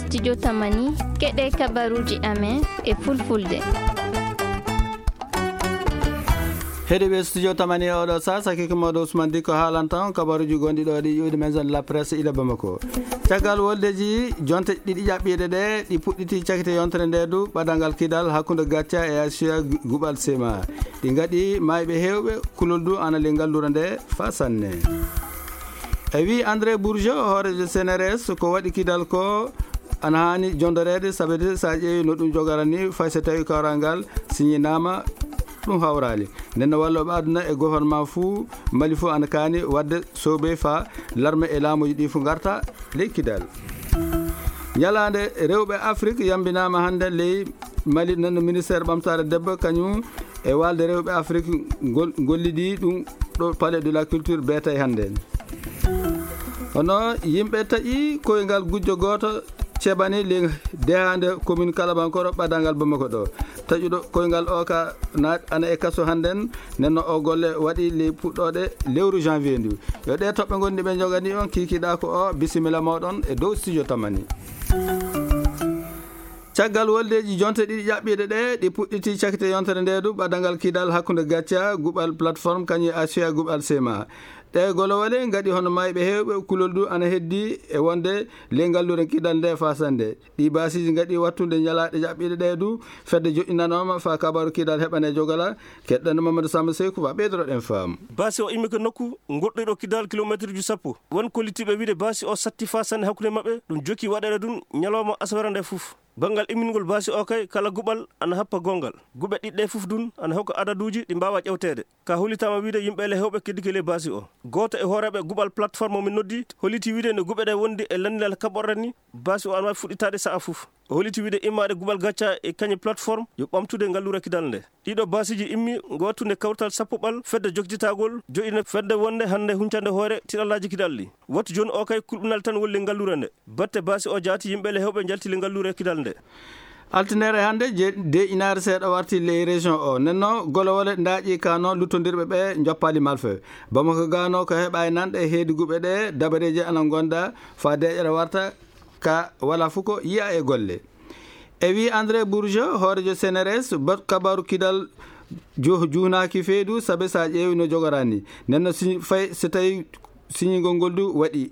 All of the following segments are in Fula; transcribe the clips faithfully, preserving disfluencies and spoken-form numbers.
Studio Tamani, keɗe kabaruji amen e fulfulde. Heɗiɓe Studio Tamani e oɗo sa, sakiki moɗo Ousmane Diko haalanta on kabaruji gonɗi ɗo ɗi ƴuwdi maison de la presse ila Bamako. Caggal woldeji jonte ɗiɗi ƴaɓɓiɗe ɗe, ɗi puɗɗiti cakite yontere nde du, ɓadal ngal kidal hakkunde Gacca e Asia Gu-, Guɓal Sema. Ɗi ngaɗi mayɓe hewɓe, kulol du ana le ngallura nde fa sanne. E wi André Bourgeot, hoorejo C N R S, ko waɗi kidal ko ana haani jondoreede, sabeede sa ƴeewi no ɗum jogarani, fay so tawi kawral ngal siñinaama, ɗum hawraali. Nden no walloɓe aduna e gouvernement fuu, Mali fuu ana kaani waɗde soobe fa larme e laamuji ɗi fuu ngarta ley kidal. Ñalaande rewɓe Afrik yambinaama hannde ley Mali, nden no ministère ɓamtaare debbo kañum e waalde rewɓe Afrik ngol-, ngollidi ɗum ɗo Palais de la Culture beetay hannde. Hono yimɓe taƴi koyngal gujjo gooto ceɓani le dehaande commune Kalabankoro ɓadal ngal Bamako ɗo. Taƴuɗo koyngal o ka na-, ana e kaso hannden, nden no o golle waɗi ley puɗɗooɗe lewru janvier ndu. Yo ɗe toɓɓe ngonɗi ɓe njogani on kikiɗa ko o, bisimilla moɗon e dow Studio Tamani. Caggal woldeji jonte ɗiɗi ƴaɓɓiɗe ɗe, ɗi puɗɗiti cakite yontere nde du, ɓadal ngal kidal hakkunde Gacca, Guɓal Plateforme, kañum e Asia Guɓal Sema. Ɗe golowale ngaɗi hono mayɓe hewɓe, kulol du ana heddi e wonde le ngallure kidal nde fasande. Ɗi basiji ngaɗi wattude ñalaɗe ƴaɓɓiɗe ɗe du, fedde joɗɗinanoma fa kabaru kidal heɓane jogala, keɗɗano Mamadou Samba Seykou fa ɓeydoroɗen faamu. Basi o immi ko nokku goɗɗo ɗo kidal kilometre ji sappo. Won kollitiɓe wiide basi o satti fasande hakkunde maɓɓe, ɗum jokki waɗeede ɗum ñalawma asawere nde fof. Banngal immingol baasi o kay, kala guɓal ana happa gonngal. Guɓe ɗiɗɗe fof dun ana hokka adaduuji ɗi mbaawaa ƴewteede. Ka hollitaama wiyde yimɓe le heewɓe keddike ley baasi o. Gooto e hooreeɓe guɓal plateforme o min noddi, holliti wiyde no guɓe ɗe wondi e lanndinal kaɓorɗe ni, baasi o ana waawi fuɗɗitaade sa'a fof. O holliti wiyde immaade guɓal gacca e kañe plateforme yo ɓamtude ngalluure kidal nde. Ɗiɗo baasiiji immi ngo wattunde kawtal sappo ɓal fedde jokjitagol joɗɗina fedde wonde hannde huncande hoore tiɗallaaji kidal ɗi. Wattu jooni o kay kulɓinal tan woni le ngalluure nde. Batte baasi o jaati yimɓe le heewɓe njalti le ngalluure kidal nde. Altinere hannde je-, de inaare seeɗa warti ley région o. Nenno golowole ndaaƴi kano luttondirɓe ɓe njoppaali malfe. Bamako gano ko heɓa e nanɗe heedi guɓe ɗe dabareeji ana gonda fa deeƴere warta ka wala fof ko yiya e golle. E wi André Bourgeot, hoorejo C N R S, bat kabaru kidal ju-, juunaaki feydu, sabe sa ƴeewi no jogorani. Nenno siñ-, fay so tawi siñingol ngol du waɗi.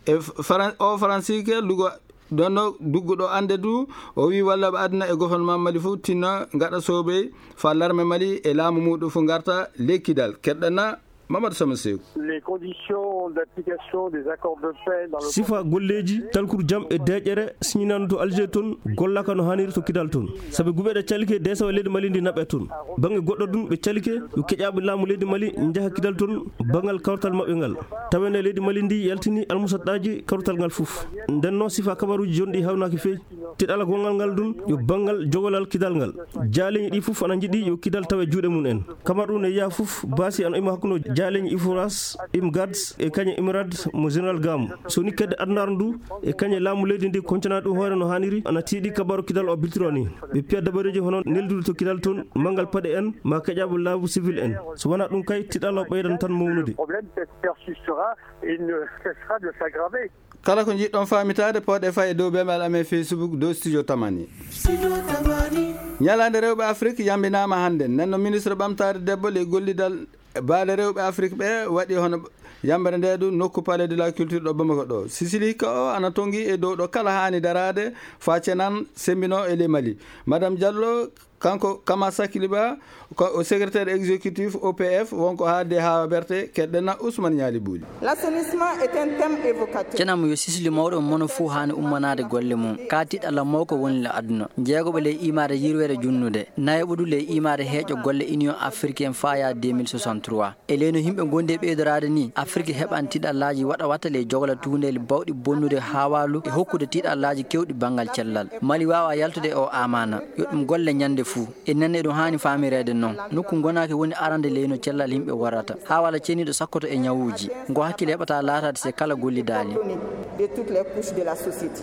E Faran-, o Faransiike lugo ɗonno dugguɗo annde du, o wi walla ɓe aduna e gouvernement Mali fof tinno ngaɗa soobey fa larme Mali e laamu muɗum fof ngarta ley kidal. Keɗɗana Mamadou Sama Seeku. Les conditions d'application des accords de paix dans le Sifa golleeji, talkuru jam e deeƴere siñinano to Alger toon, gollaka no haaniri to kidal toon. Sabi guɓe ɗe calike deesawa leydi Mali ndi naɓe toon. Baŋnge goɗɗo ɗum ɓe calike, yo keƴaaɓe laamu leydi Mali njaha kidal toon, baŋngal kawtal maɓɓe ngal. Taweende leydi Mali ndi yaltini almusaɗɗaaji kawtal ngal fof. Nden noon sifa kabaruuji jonɗi hawnaaki fey. Tiɗala gonngal ngal ɗum yo baŋngal jogolal kidal ngal. Jaaleeñi ɗi fof ana njiɗi yo kidal tawe juuɗe mum en. Kamar ɗum ne yiya fof, baasi ana ima hakkunde jaaleeñi Iforas, Imgads e kañe Imirad mo Général Gamo. So ni kedde adunaaru ndu e kañe laamu leydi ndi koncana ɗum hoore no haaniri, ana tiiɗi kabaru kidal o biltiro ni. Ɓe piya dabareeji hono neldude to kidal toon, manngal paɗe en, ma keƴaaɓe laabu civil en. So wonaa ɗum kay, tiɗal o ɓeydan tan mawnude. Le problème persistera et ne cessera de s'aggraver. Kala ko njiɗɗon faamitaade, pooɗe fay e dow bemel amen Facebook, dow Studio Tamani. Studio Tamani. Ñalaande rewɓe Afrik yambinaama hannde. Nden no ministre ɓamtaare debbo ley gollidal baale rewɓe Afrik ɓe waɗi hono yambere nde du nokku Palais de la Culture ɗo Bamako ɗo. Sisili hikka o ana tongi e dow ɗo kala haani daraade fa cenan sembino e ley Mali. Madame Diallo, kanko Kama Sakiliba, ko o secrétaire exécutif O P F, wonko haalde haa waɓerte, keɗɗena Ousmane Ñaali Buuli. L'assainissement est un thème évocateur. Cenam yo sisli mawɗo mono fuu haani ummanaade golle mum. Ka tiɗɗalla mawko woni le aduna. Jeegoɓe ley imaade yirweede junnude. Nayoɓo du ley imaade heeƴo golle Union Africaine faya deux mille soixante-trois. E leyno yimɓe ngondi e ɓeydoraade ni, Afrik heɓan tiɗallaaji waɗa watta ley jogla tuundeeli bawɗi bonnude haawaalu e hokkude tiɗallaaji kewɗi banngal cellal. Mali waawa yaltude e o amaana. Yo ɗum golle ñande fuu. E nenne ɗum haani faamireede noon. Nokku ngonaaki woni arande leyno cellal yimɓe warrata. Haawala ceniiɗo sakkoto e ñawuuji. Ngo hakkille heɓata laataade se kala gollidaali. De toutes les couches de la société.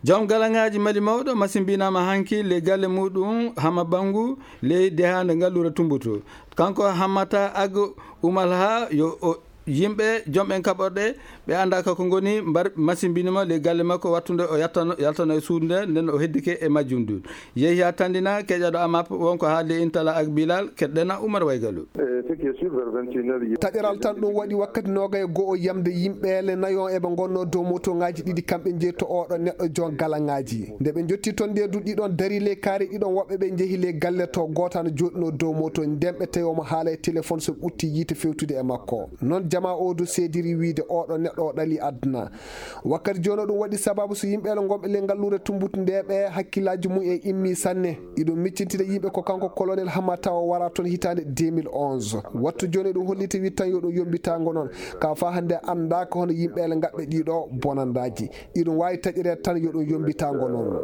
Joom galaŋaaji Mali mawɗo masimbinaama hanki ley galle muɗum Hama Bangu ley dehaande ngalluure Tumbutu. Kanko Hammata Ag Umalha yo o yimɓe jom en kaɓorɗe, ɓe anndaaka ko ngoni, mbar masimbinimo ley galle makko, wattunde o yattano, yaltano e suudu nde, nden o heddike e majjum du. Yehi haa Tandina, keƴaɗo amap wonko haalde intala ak Bilal, keɗɗena Umar Waygalu. Eh, ce qui est sûr, vers vingt et une heures, il y a Taƴeral tan ɗum waɗi wakkati noogay e go'o yamde yimɓeele nayo eɓe ngonno dow motoŋaaji ɗiɗi, kamɓe njeyi to oɗo neɗɗo jon galaŋaaji. Nde ɓe njotti toon nde du ɗiɗon dari ley kaari ɗiɗon woɓɓe ɓe njehi ley galle to gooto ana jooɗino dow moto. Nden ɓe tawi omo haala e téléphone so ɓe utti yiite fewtude e makko. Noon jamaa o du seediri wiide oɗo neɗɗo o ɗali aduna. Wakkati jooni o ɗum waɗi sababu so yimɓeele ngonɓe ley ngalluure Tumbutu nde ɓe hakkillaaji mum en immi sanne. Iɗum miccintida yimɓe ko kanko colonel Hamata o wara toon hitaande deux mille onze. Wattu jooni ɗum holliti wi tan yo ɗum yombitango noon. Ka fa hannde anndaaka hono yimɓeele ngaɓɓe ɗiɗo bonandaaji. Iɗum waawi taƴireede tan yo ɗum yombitango noon.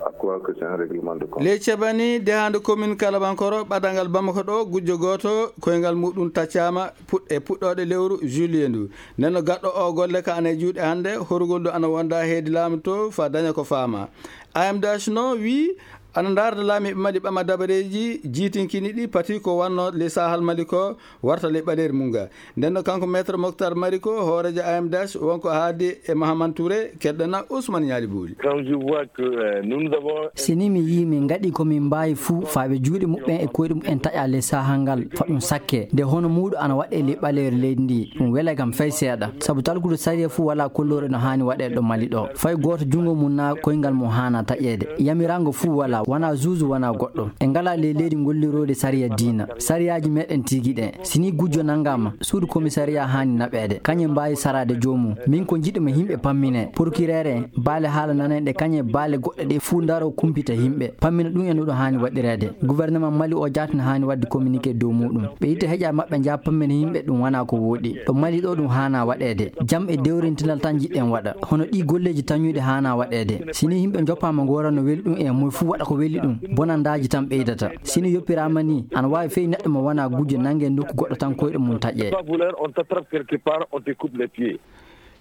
À quoi que c'est un règlement de compte. Ley Cebani, dehaande commune Kalabankoro, ɓadanngal Bamako ɗo, gujjo gooto, koyngal muɗum taccaama puɗ-, e puɗɗooɗe lewru juillet ndu. Nden no gaɗɗo o golle ka ana e juuɗe hannde, horugol ɗo ana wonda heedi laamu to, fa daña ko faama. A M D H no wi, ana ndaarda laamiiɓe Mali ɓama dabareeji jiitinkini ɗi pati ko wanno ley Sahal Mali ko, warta ley ɓaleeri mum ga. Nden no kanko Maître Moctar Mari ko hooreejo A M D H, wonko haadi e Mahaman Touré, keɗɗana Ousmane Ñaali Buuli. Quand je vois que, euh, nous, nous avons Si ni mi yii min ngaɗi ko min mbaawi fuu, faaɓe juuɗe muɓɓen e koyɗe muɓɓen taƴa ley saha ngal, fa ɗum sakke. Nde hono muuɗo ana waɗe ley ɓaleeri leydi ndi, ɗum welay kam fay seeɗa. Sabu talkude sariya fuu walaa kolloore no haani waɗeede ɗo Mali ɗo. Fay gooto junngo mum naa koyngal mum haana taƴeede. Yamirango fuu walaa, wanaa zuuzu, wanaa goɗɗo. En ngalaa ley leydi ngolliroodi sariya diina. Sariyaaji meɗen tigi ɗen. Si ni gujjo nanngaama, suudu komisariya haani naɓeede. Kañum mbaawi saraade joomum. Min ko njiɗmi yimɓe pammine. Procureur en, baale haala nanayɗe kañum e baale goɗɗe ɗe fuu ndaro kumpita yimɓe. Pammina ɗum e no ɗum haani waɗireede. Gouvernement Mali o jaati no haani waɗde communiqué dow muuɗum. Ɓe itta heƴa maɓɓe njaha pammina yimɓe ɗum wanaa ko wooɗi. Ɗo Mali ɗo ɗum haana waɗeede. Jam e dewrintinal tan njiɗɗen waɗa. Hono ɗi golleeji tañuɗi haana waɗeede. Si ni yimɓe njoppaama ngoora no weli ɗum e moy fuu waɗa ko weli ɗum, bonandaaji tan ɓeydata. Si ni yoppiraama ni, ana waawi fey neɗɗo mo wanaa gujjo nannge nokku goɗɗo tan koyɗe mum taƴe. Pas voleur, on t'attrape quelque part, on te coupe les pieds.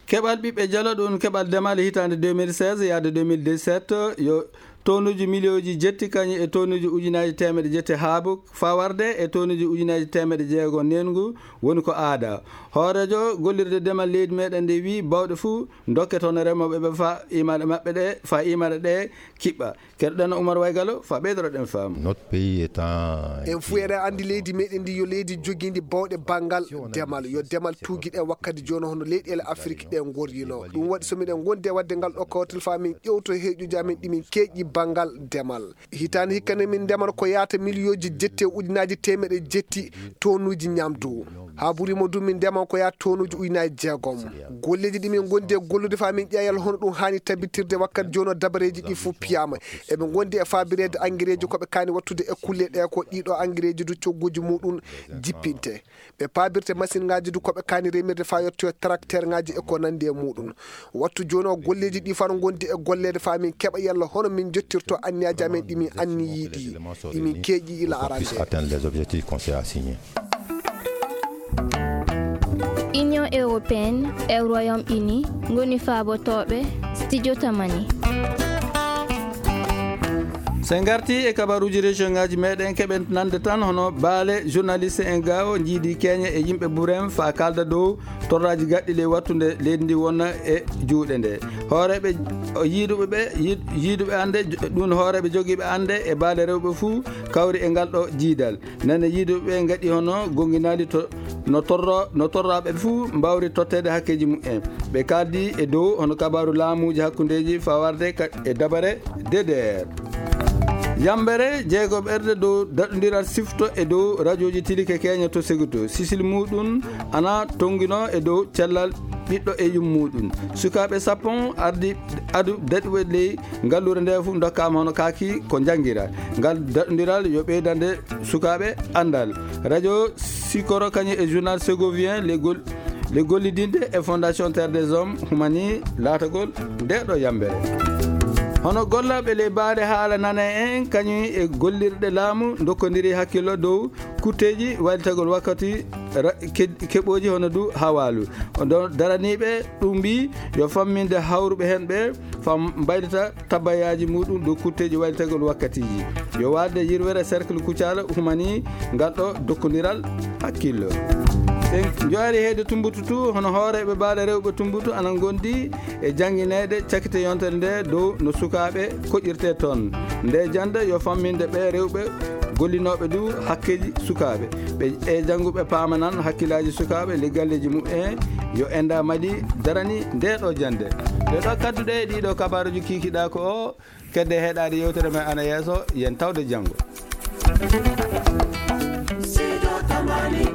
Keɓal ɓiɓɓe Jalo ɗum keɓal demal hitaande deux mille seize yaade deux mille dix-sept yo tonuuji miliyooji jetti kañum e tonuuji ujunaaji teemeɗe jetti haabu fawarde e tonuuji ujunaaji teemeɗe jeego neengu woni ko aada. Hooreejo gollirde demal leydi meɗen nde wi bawɗe fuu dokke toon e remooɓe ɓe fa imaɗe maɓɓe ɗe, fa imaɗe ɗe kiɓɓa. Keɗɗen Umar Waygalo fa ɓeydoroɗen faamu. Notre pays étant un En fuu eɗen anndi leydi meɗen ndi yo leydi jogiindi bawɗe banngal demal. Yo demal tuugi ɗe wakkati jooni hono leyɗeele Afrik ɗe ngorrino. Ɗum waɗi so miɗen ngondi e waɗde ngal ɗo kawtal fa min ƴewto heeƴuji amen ɗi min keeƴi banngal demal. Hitaande hikka ne min ndemata ko yaata miliyooji jetti e ujunaaji teemeɗe jetti tonuuji ñamdu. Haa ɓuri mo du min ndema ko yaata tonuuji ujunaaji jeegom. Golleeji ɗi min ngondi e gollude fa min ƴeewa hono ɗum haani tabitirde wakkati jooni o dabareeji ɗi fof piyaama. Eɓe ngondi e faabireede angereeji ko ɓe kaani wattude e kulle ɗe ko ɗiɗo angereeji du cogguuji muɗum jippinte. Ɓe paabirte masiŋaaji du ko ɓe kaani remirde fa yettoyo tracteurŋaaji e ko nanndi e muɗum. Wattu jooni o golleeji ɗi fano ngondi e golleede fa min keɓa yalla hono min jottirto anniyaaji amen ɗi min anniyii ɗi, ɗi min keeƴi ila arande. Atteindre les objectifs qu'on s'est assignés. Union européenne e Royaume-Uni ngoni faabotooɓe studio Tamani. So en ngarti e kabaruuji région ŋaaji meɗen, keɓen nande tan hono baale journaliste en gaawo njiidi keeñe e yimɓe buren fa kalda dow torraaji gaɗɗi ley wattunde leydi ndi wonna e juuɗe nde. Hooreeɓe o yiiduɓe ɓe, yiid-, yiiduɓe annde, ɗum hooreeɓe jogiiɓe annde e baale rewɓe fuu kawri e ngal ɗo jiidal. Nane yiiduɓe ɓe ngaɗi hono gonginaali to, no torro, no torraaɓe fuu mbawri totteede hakkeeji mumen. Ɓe kaldi e dow hono kabaaru laamuuji hakkundeeji fawarde ka, e dabare D D R. Yambere jeegoɓerde dow daɗondiral sifto e dow rajooji tilike keeña to Seguto. Sisil muɗum ana tongino e dow cellal ɓiɗɗo e yummuɗum. Sukaaɓe sappo ardi adu daɗuɓe ley ngalluure nde fof dokkama hono kaaki ko janngira. Ngal daɗondiral yo ɓeydande sukaaɓe anndal. Radio Sikoro kañum e journal Segovien, les gol-, les gollidinde e Fondation Terre des Hommes humani laatagol nde ɗo yambere. Hono gollooɓe ley baale haala nane en kañum e gollirɗe laamu dokkodiri hakkillo dow kutteeji walitagol wakkati ra-, ke-, keɓooji hono du hawaalu. O do-, daraniiɓe ɗum mbi yo famminde hawruɓe heen ɓe fam mbaylita tabbayaaji muɗum dow kutteeji walitagol wakkatiiji. Yo waɗde yirwere cercle Kucala humani ngal ɗo dokkondiral hakkillo. En njowaali heede Tumbutu tu, hono hooreeɓe baale rewɓe Tumbutu ana ngondi e janngineede cakite yontere nde dow no sukaaɓe koƴirtee toon. Nde jannde yo famminde ɓe rewɓe gollinooɓe du hakkeeji sukaaɓe. Ɓe e jannguɓe paamanan hakkillaaji sukaaɓe, le galleeji mumen yo enda madi darani nde ɗo jannde. Ɗe ɗo kadduɗe e ɗiɗo kabaaruji kiikiɗa ko o kedde heɗaade yewtere men ana yeeso, yen tawde janngo. Sido Tamani.